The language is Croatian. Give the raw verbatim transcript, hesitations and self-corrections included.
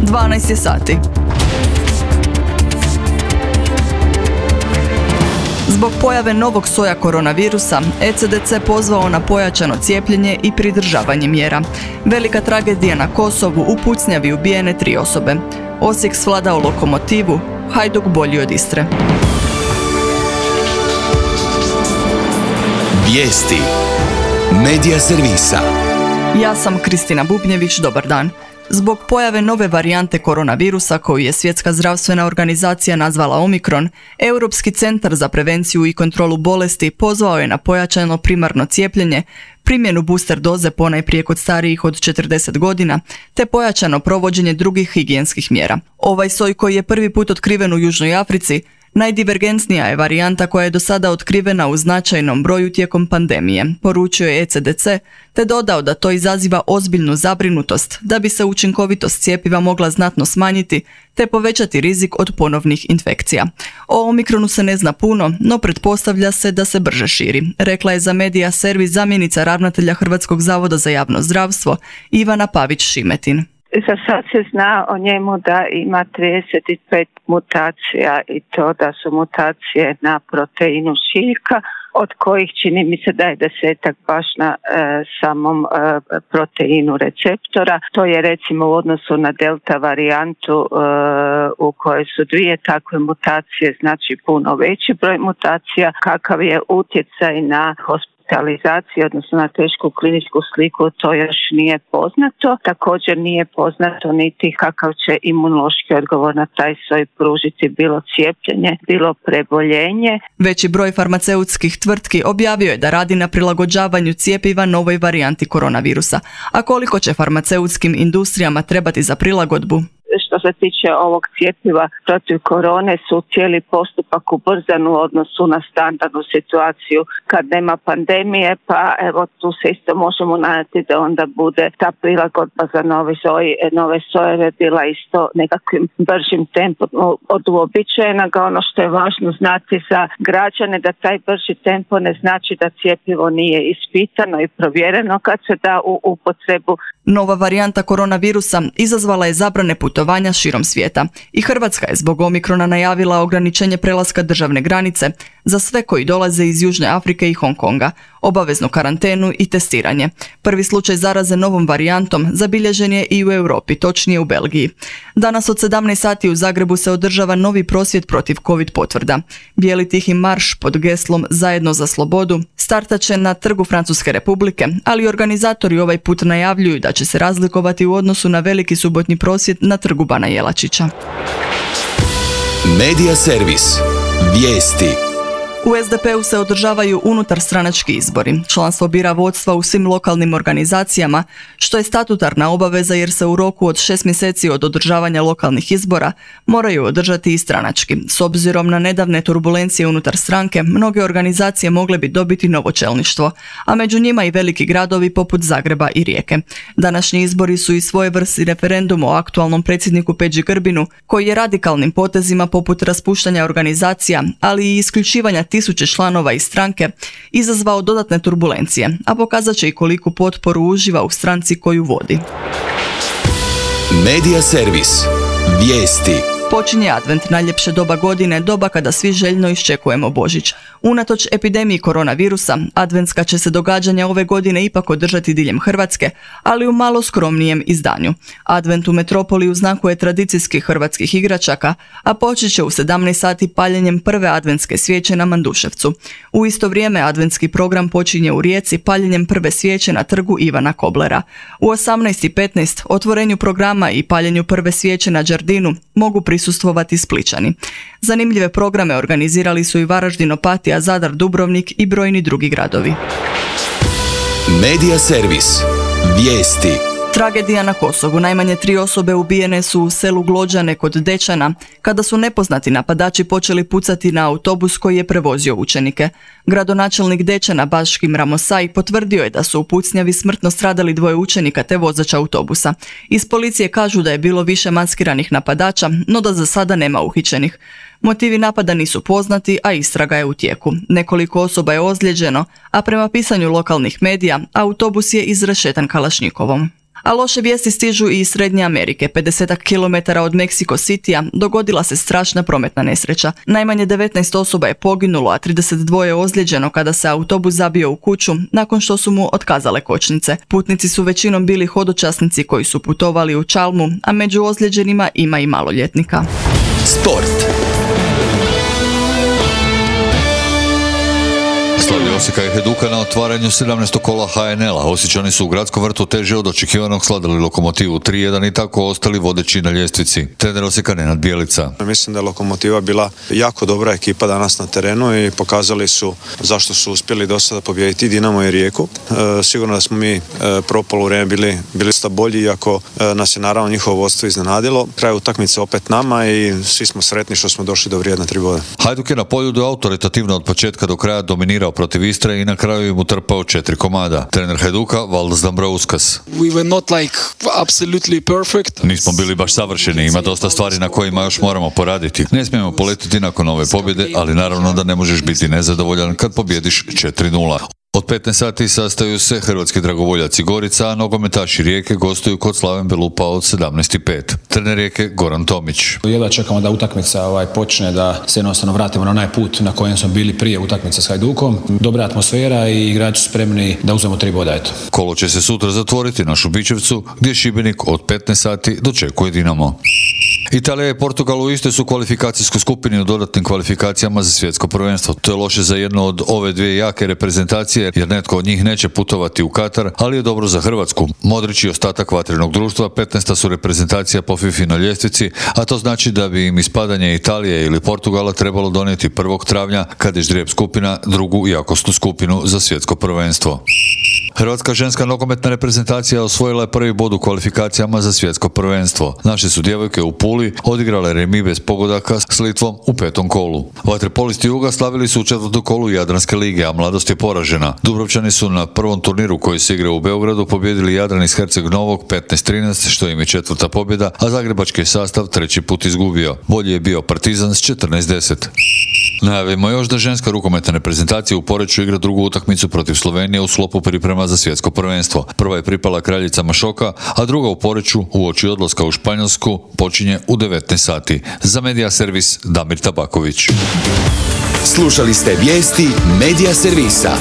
dvanaest je sati. Zbog pojave novog soja koronavirusa, E C D C pozvao na pojačano cijepljenje i pridržavanje mjera. Velika tragedija na Kosovu, u pucnjavi ubijene tri osobe. Osijek svladao Lokomotivu, Hajduk bolji od Istre. Vijesti Medija servisa. Ja sam Kristina Bubnjević, dobar dan. Zbog pojave nove varijante koronavirusa koju je Svjetska zdravstvena organizacija nazvala Omikron, Europski centar za prevenciju i kontrolu bolesti pozvao je na pojačano primarno cijepljenje, primjenu booster doze ponajprije kod starijih od četrdeset godina, te pojačano provođenje drugih higijenskih mjera. Ovaj soj koji je prvi put otkriven u Južnoj Africi, najdivergentnija je varijanta koja je do sada otkrivena u značajnom broju tijekom pandemije, poručio je E C D C, te dodao da to izaziva ozbiljnu zabrinutost da bi se učinkovitost cjepiva mogla znatno smanjiti te povećati rizik od ponovnih infekcija. O Omikronu se ne zna puno, no pretpostavlja se da se brže širi, rekla je za Medija servis zamjenica ravnatelja Hrvatskog zavoda za javno zdravstvo Ivana Pavić-Šimetin. Za sad se zna o njemu da ima trideset pet mutacija i to da su mutacije na proteinu šiljka, od kojih čini mi se da je desetak baš na e, samom e, proteinu receptora. To je recimo u odnosu na delta varijantu e, u kojoj su dvije takve mutacije, znači puno veći broj mutacija. Kakav je utjecaj na hospitalizaciju, odnosno na tešku kliničku sliku, to još nije poznato. Također nije poznato niti kakav će imunološki odgovor na taj soj pružiti bilo cijepljenje, bilo preboljenje. Veći broj farmaceutskih tvrtki objavio je da radi na prilagođavanju cjepiva novoj varijanti koronavirusa. A koliko će farmaceutskim industrijama trebati za prilagodbu? Što se tiče ovog cjepiva protiv korone su cijeli postupak ubrzan u odnosu na standardnu situaciju kad nema pandemije, pa evo tu se isto možemo nadati da onda bude ta prilagodba za nove soje, nove sojeve bila isto nekakvim bržim tempom od uobičajenog. Ono što je važno znati za građane da taj brži tempo ne znači da cjepivo nije ispitano i provjereno kad se da u upotrebu. Nova varijanta koronavirusa izazvala je zabrane putovanja širom svijeta i Hrvatska je zbog Omikrona najavila ograničenje prelaska državne granice za sve koji dolaze iz Južne Afrike i Hong Konga, obaveznu karantenu i testiranje. Prvi slučaj zaraze novom varijantom zabilježen je i u Europi, točnije u Belgiji. Danas od sedamnaest sati u Zagrebu se održava novi prosvjed protiv COVID potvrda. Bijeli tihi marš pod geslom Zajedno za slobodu startat će na Trgu Francuske Republike, ali organizatori ovaj put najavljuju da će se razlikovati u odnosu na veliki subotnji prosvjed na Trgu Bana Jelačića. Medija servis. Vijesti. U S D P-u se održavaju unutarstranački izbori. Članstvo bira vodstva u svim lokalnim organizacijama, što je statutarna obaveza jer se u roku od šest mjeseci od održavanja lokalnih izbora moraju održati i stranački. S obzirom na nedavne turbulencije unutar stranke, mnoge organizacije mogle bi dobiti novo čelništvo, a među njima i veliki gradovi poput Zagreba i Rijeke. Današnji izbori su i svojevrsni referendum o aktualnom predsjedniku Peđi Grbinu, koji je radikalnim potezima poput raspuštanja organizacija, ali i isključivanja tisuće članova iz stranke, izazvao dodatne turbulencije, a pokazat će i koliku potporu uživa u stranci koju vodi. Medija servis. Vijesti. Počinje advent, najljepše doba godine, doba kada svi željno iščekujemo Božić. Unatoč epidemiji koronavirusa, adventska će se događanja ove godine ipak održati diljem Hrvatske, ali u malo skromnijem izdanju. Advent u metropoli u znaku je tradicijskih hrvatskih igračaka, a počet će u sedamnaest sati paljenjem prve adventske svijeće na Manduševcu. U isto vrijeme adventski program počinje u Rijeci paljenjem prve svijeće na Trgu Ivana Koblera. U osamnaest i petnaest otvorenju programa i paljenju prve svijeće na Đardinu mogu prisustvovati Splićani. Zanimljive programe organizirali su i Varaždin, Opatija, Zadar, Dubrovnik i brojni drugi gradovi. Medija servis. Vijesti. Tragedija na Kosovu. Najmanje tri osobe ubijene su u selu Glođane kod Dečana, kada su nepoznati napadači počeli pucati na autobus koji je prevozio učenike. Gradonačelnik Dečana Baškim Ramosaj potvrdio je da su u pucnjavi smrtno stradali dvoje učenika te vozač autobusa. Iz policije kažu da je bilo više maskiranih napadača, no da za sada nema uhićenih. Motivi napada nisu poznati, a istraga je u tijeku. Nekoliko osoba je ozlijeđeno, a prema pisanju lokalnih medija, autobus je izrešetan kalašnjikovom. A loše vijesti stižu i iz Srednje Amerike. pedeset kilometara od Mexico Citya dogodila se strašna prometna nesreća. Najmanje devetnaest osoba je poginulo, a trideset dva je ozlijeđeno kada se autobus zabio u kuću nakon što su mu otkazale kočnice. Putnici su većinom bili hodočasnici koji su putovali u Chalmu, a među ozlijeđenima ima i maloljetnika. Sport. Slavlje Osijeka i Hajduka na otvaranju sedamnaestog kola ha en el-a. Osječani su u gradskom vrtu teže od očekivanog slavili Lokomotivu tri jedan i tako ostali vodeći na ljestvici. Trener Osijeka Nenad Bjelica. Mislim da je Lokomotiva bila jako dobra ekipa danas na terenu i pokazali su zašto su uspjeli do sada pobijediti Dinamo i Rijeku. E, sigurno da smo mi e, prvo poluvreme bili, bili sta bolji, iako e, nas je naravno njihovo vodstvo iznenadilo. Kraj utakmice opet nama i svi smo sretni što smo došli do vrijedna tri boda. Hajduk je na poljudu autoritativno od početka do kraja dominirao protiv Istre i na kraju im utrpao četiri komada. Trener Hajduka Valdas Dambrauskas. We were not like absolutely perfect. Nismo bili baš savršeni, ima dosta stvari na kojima još moramo poraditi. Ne smijemo poletiti nakon ove pobjede, ali naravno da ne možeš biti nezadovoljan kad pobjediš četiri nula. Od petnaest sati sastaju se hrvatski dragovoljaci Gorica, a nogometaši Rijeke gostuju kod Slaven Belupa od sedamnaest i pet. Trener Rijeke Goran Tomić. Jedva čekamo da utakmica ovaj, počne, da se jednostavno vratimo na onaj put na kojem smo bili prije utakmice s Hajdukom. Dobra atmosfera i igrači su spremni da uzmemo tri boda. Eto. Kolo će se sutra zatvoriti na Šubićevcu, gdje Šibenik od petnaest sati dočekuje Dinamo. Italija i Portugal u istoj su kvalifikacijskoj skupini u dodatnim kvalifikacijama za svjetsko prvenstvo. To je loše za jednu od ove dvije jake reprezentacije, jer netko od njih neće putovati u Katar, ali je dobro za Hrvatsku. Modrić i ostatak vatrenog društva petnaesta su reprezentacija po FIFA na ljestvici, a to znači da bi im ispadanje Italije ili Portugala trebalo donijeti prvog travnja, kad je ždrijeb skupina drugu jakosnu skupinu za svjetsko prvenstvo. Hrvatska ženska nogometna reprezentacija osvojila je prvi bod u kvalifikacijama za svjetsko prvenstvo. Naše su djevojke u Puli odigrale remi bez pogodaka s Litvom u petom kolu. Vaterpolisti Juga slavili su u četvrtom kolu Jadranske lige, a mladost je poražena. Dubrovčani su na prvom turniru koji se igra u Beogradu pobijedili Jadran iz Herceg Novog petnaest trinaest, što im je četvrta pobjeda, a zagrebački sastav treći put izgubio. Bolji je bio Partizan s četrnaest deset. Najavimo još da ženska rukometna reprezentacija u Poreču igra drugu utakmicu protiv Slovenije u sklopu priprema za svjetsko prvenstvo. Prva je pripala Kraljicama Šoka, a druga u Poreču uoči odlaska u Španjolsku počinje u devetnaest sati. Za Medija servis Damir Tabaković. Slušali ste vijesti Medija servisa.